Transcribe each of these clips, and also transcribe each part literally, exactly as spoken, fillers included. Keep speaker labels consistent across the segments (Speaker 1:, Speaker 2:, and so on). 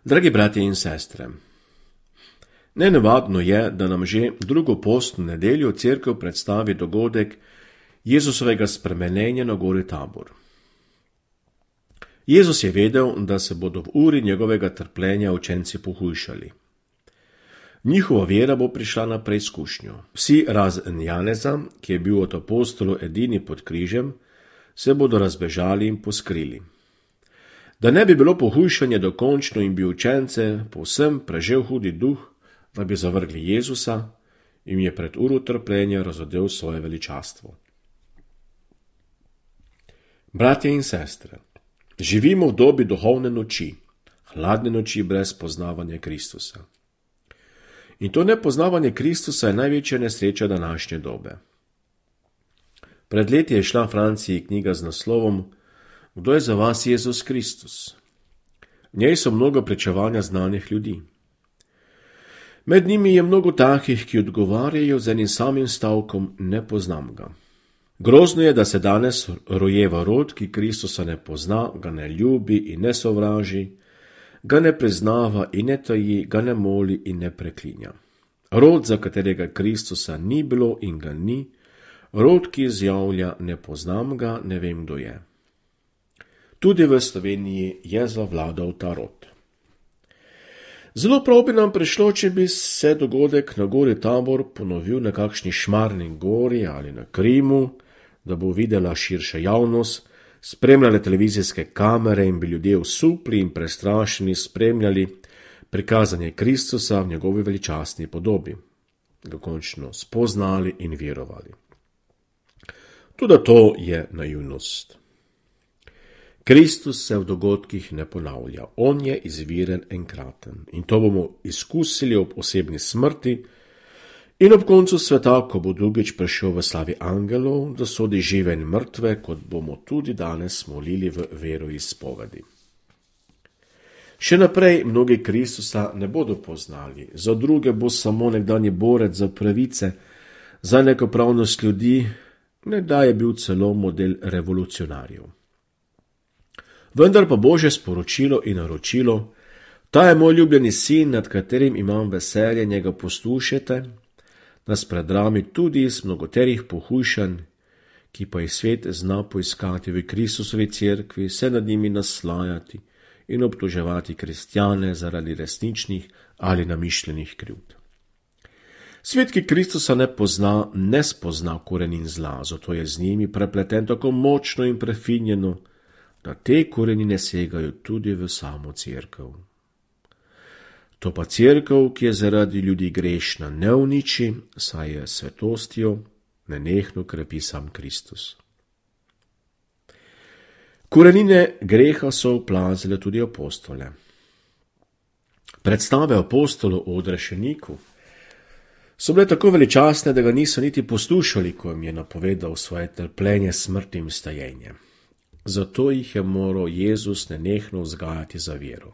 Speaker 1: Dragi bratje in sestre, nenavadno je, da nam že drugo postno nedeljo cerkev predstavi dogodek Jezusovega spremenjenja na gori Tabor. Jezus je vedel, da se bodo v uri njegovega trpljenja učenci pohujšali. Njihova vera bo prišla na preizkušnjo. Vsi razen Janeza, ki je bil od apostolov edini pod križem, se bodo razbežali in poskrili. Da ne bi bilo pohujšanje dokončno in bi učence povsem prežel hudi duh, da bi zavrgli Jezusa, jim je pred uro trpljenja razodel svoje veličastvo. Bratje in sestre, živimo v dobi duhovne noči, hladne noči brez poznavanja Kristusa. In to nepoznavanje Kristusa je največja nesreča današnje dobe. Pred leti je šla v Franciji knjiga z naslovom Kdo je za vas Jezus Kristus? V njej so mnogo pričevanja znanih ljudi. Med njimi je mnogo takih, ki odgovarjajo z enim samim stavkom ne poznam ga. Grozno je, da se danes rojeva rod, ki Kristusa ne pozna, ga ne ljubi in ne sovraži, ga ne priznava in ne taji, ga ne moli in ne preklinja. Rod, za katerega Kristusa ni bilo in ga ni, rod, ki izjavlja ne poznam ga, ne vem, kdo je. Tudi v Sloveniji je zavladal ta rod. Zelo prav bi nam prišlo, če bi se dogodek na gori Tabor ponovil na kakšni Šmarni gori ali na Krimu, da bo videla širša javnost, spremljale televizijske kamere in bi ljudje osupli in prestrašeni spremljali prikazanje Kristusa v njegovi veličastni podobi, ga končno spoznali in verovali. Tudi to je naivnost. Kristus se v dogodkih ne ponavlja, on je izviren enkraten in to bomo izkusili ob osebni smrti in ob koncu sveta, ko bo drugič prišel v slavi angelov, da sodi žive in mrtve, kot bomo tudi danes molili v veroizpovedi. Še naprej mnogi Kristusa ne bodo poznali, za druge bo samo nekdanji borec za pravice, za enakopravnost ljudi, nekdaj je bil celo model revolucionarjev. Vendar pa Božje sporočilo in naročilo, ta je moj ljubljeni sin, nad katerim imam veselje, njega poslušajte, nas predrami tudi iz mnogoterih pohujšanj, ki pa jih svet zna poiskati v Kristusovi cerkvi, se nad njimi naslajati in obtoževati kristjane zaradi resničnih ali namišljenih krivd. Svet, ki Kristusa ne pozna, ne spozna korenin zla, zato je z njimi prepleten tako močno in prefinjeno, da te korenine segajo tudi v samo cerkev. To pa cerkev, ki je zaradi ljudi grešna, ne uniči, saj je svetostjo nenehno krepi sam Kristus. Korenine greha so oplazile tudi apostole. Predstave apostolov o odrešeniku so bile tako veličastne, da ga niso niti poslušali, ko jim je napovedal svoje trpljenje, smrt in vstajenje. Zato jih je moral Jezus nenehno vzgajati za vero.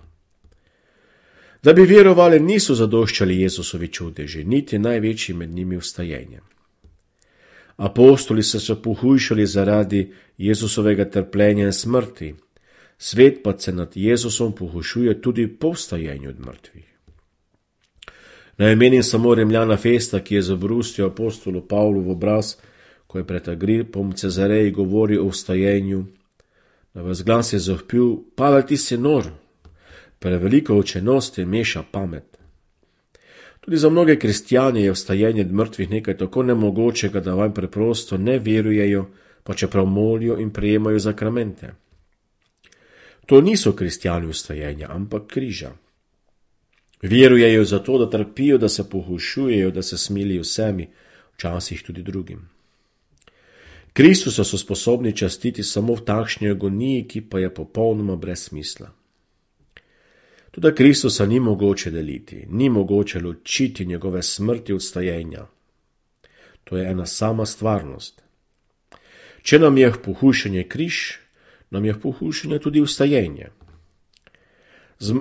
Speaker 1: Da bi verovali, niso zadoščali Jezusovi čudeži, niti največji med njimi vstajenje. Apostoli so se pohujšali zaradi Jezusovega trpljenja in smrti, svet pa se nad Jezusom pohujšuje tudi po vstajenju od mrtvih. Naj omenim samo Rimljana Festa, ki je zabrustil apostolu Pavlu v obraz, ko je pred Agripom Cezareji govoril o vstajenju. Na vas glas je zavpil: Pavel, ti si nor, preveliko učenosti meša pamet. Tudi za mnoge kristjane je vstajenje od mrtvih nekaj tako nemogočega, da vam preprosto ne verujejo, pa čeprav molijo in prejemajo zakramente. To niso kristjani vstajenja, ampak križa. Verujejo zato, da trpijo, da se pohujšujejo, da se smilijo vsemi, včasih tudi drugim. Kristusa so sposobni častiti samo v takšni agoniji, ki pa je popolnoma brez smisla. Tudi Kristusa ni mogoče deliti, ni mogoče ločiti njegove smrti od vstajenja. To je ena sama stvarnost. Če nam je pohujšanje križ, nam je pohujšanje tudi vstajenje.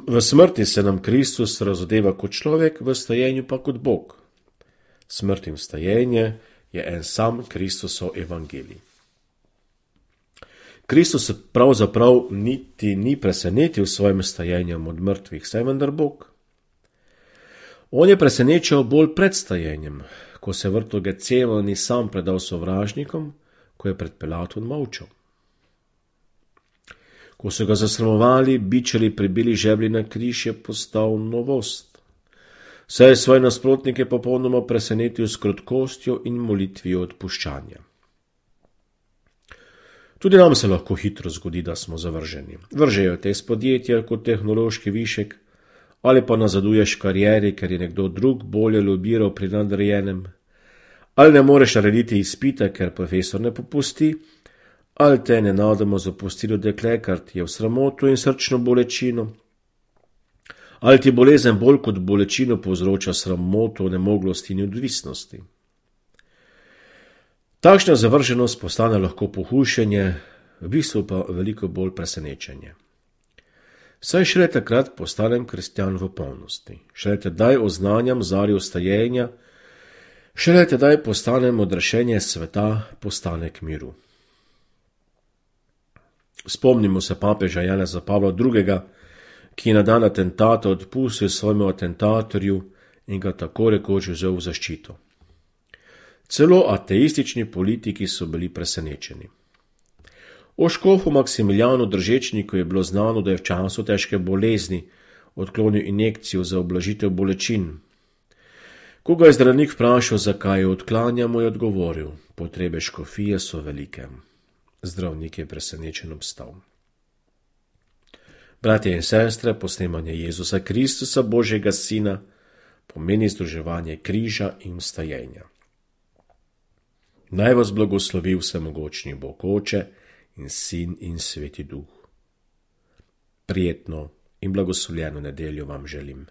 Speaker 1: V smrti se nam Kristus razodeva kot človek, v vstajenju pa kot Bog. Smrt in vstajenje je en sam Kristusov evangelij. Kristus se pravzaprav niti ni presenetil s svojim stajenjem od mrtvih, saj vendar Bog. On je presenečal bolj pred stajenjem, ko se v vrtu Gecemani sam predal sovražnikom, ko je pred Pilatom molčal. Ko so ga zasramovali, bičali, pribili žebli na križ, je postal novost. Saj je svoje nasprotnike popolnoma presenetil s krotkostjo in molitvijo odpuščanja. Tudi nam se lahko hitro zgodi, da smo zavrženi. Vržejo te iz podjetja kot tehnološki višek, ali pa nazaduješ v karieri, ker je nekdo drug bolje lobiral pri nadrejenem, ali ne moreš narediti izpita, ker profesor ne popusti, ali te nenadoma zapustilo dekle, ker ti je v sramoto in srčno bolečino, ali ti bolezen bolj kot bolečino povzroča sramoto, nemoglosti in odvisnosti. Takšna zavrženost postane lahko pohujšanje, v bistvu pa veliko bolj presenečenje. Saj šele takrat postanem kristjan v polnosti, šele tedaj oznanjam zarjo stajenja, šele tedaj postanem odrešenje sveta, postanek miru. Spomnimo se papeža Janeza Pavla drugega, ki je na dan atentata odpustil svojemu atentatorju in ga tako rekoč vzel v zaščito. Celo ateistični politiki so bili presenečeni. O škofu Maksimiljanu Držečniku je bilo znano, da je v času težke bolezni odklonil injekcijo za ublažitev bolečin. Ko ga je zdravnik vprašal, zakaj jo odklanja, mu je odgovoril: potrebe škofije so velike. Zdravnik je presenečen obstal. Bratje in sestre, posnemanje Jezusa Kristusa, Božjega Sina, pomeni združevanje križa in stajenja. Naj vas blagoslovi vsemogočni Bog Oče in Sin in Sveti Duh. Prijetno in blagoslovljeno nedeljo vam želim.